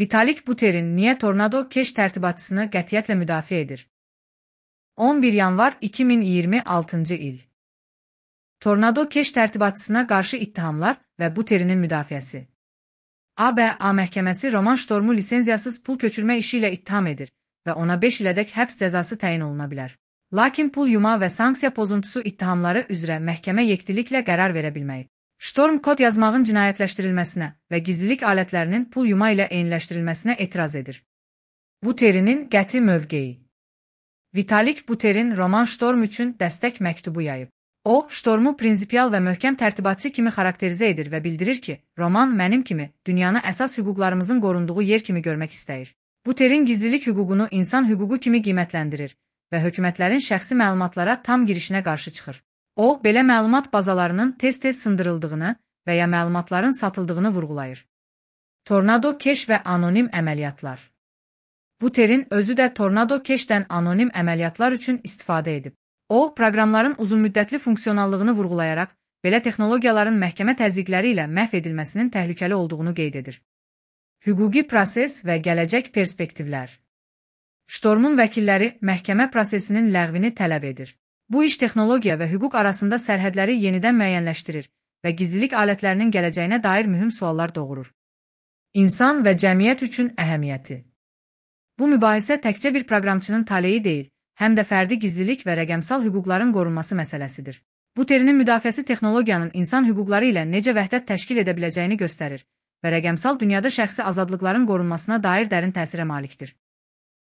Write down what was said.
Vitalik Buterin niyə Tornado Cash tərtibatçısını qətiyyətlə müdafiə edir? 11 yanvar 2026 il. Tornado Cash tərtibatçısına qarşı ittihamlar və Buterinin müdafiəsi. ABA məhkəməsi Roman Stormu lisenziyasız pul köçürmə işi ilə ittiham edir və ona 5 ilədək həbs cəzası təyin oluna bilər. Lakin pul yuma və sanksiya pozuntusu ittihamları üzrə məhkəmə yekdiliklə qərar verə bilməyib. Storm kod yazmağın cinayətləşdirilməsinə və gizlilik alətlərinin pul yuma ilə eyniləşdirilməsinə etiraz edir. Buterinin qəti mövqeyi. Vitalik Buterin Roman Storm üçün dəstək məktubu yayıb. O, Stormu prinsipial və möhkəm tərtibatçı kimi xarakterizə edir və bildirir ki, Roman mənim kimi dünyanı əsas hüquqlarımızın qorunduğu yer kimi görmək istəyir. Buterin gizlilik hüququnu insan hüququ kimi qiymətləndirir və hökumətlərin şəxsi məlumatlara tam girişinə qarşı çıxır. O, belə məlumat bazalarının tez-tez sındırıldığını və ya məlumatların satıldığını vurğulayır. Tornado Cash və anonim əməliyyatlar. Buterin özü də Tornado Cash-dən anonim əməliyyatlar üçün istifadə edib. O, proqramların uzunmüddətli funksionallığını vurğulayaraq, belə texnologiyaların məhkəmə təzyiqləri ilə məhv edilməsinin təhlükəli olduğunu qeyd edir. Hüquqi proses və gələcək perspektivlər. Stormun vəkilləri məhkəmə prosesinin ləğvini tələb edir. Bu iş texnologiya və hüquq arasında sərhədləri yenidən müəyyənləşdirir və gizlilik alətlərinin gələcəyinə dair mühüm suallar doğurur. İnsan və cəmiyyət üçün əhəmiyyəti. Bu mübahisə təkcə bir proqramçının taleyi deyil, həm də fərdi gizlilik və rəqəmsal hüquqların qorunması məsələsidir. Buterinin müdafiəsi texnologiyanın insan hüquqları ilə necə vəhdət təşkil edə biləcəyini göstərir və rəqəmsal dünyada şəxsi azadlıqların qorunmasına dair dərin təsirə malikdir.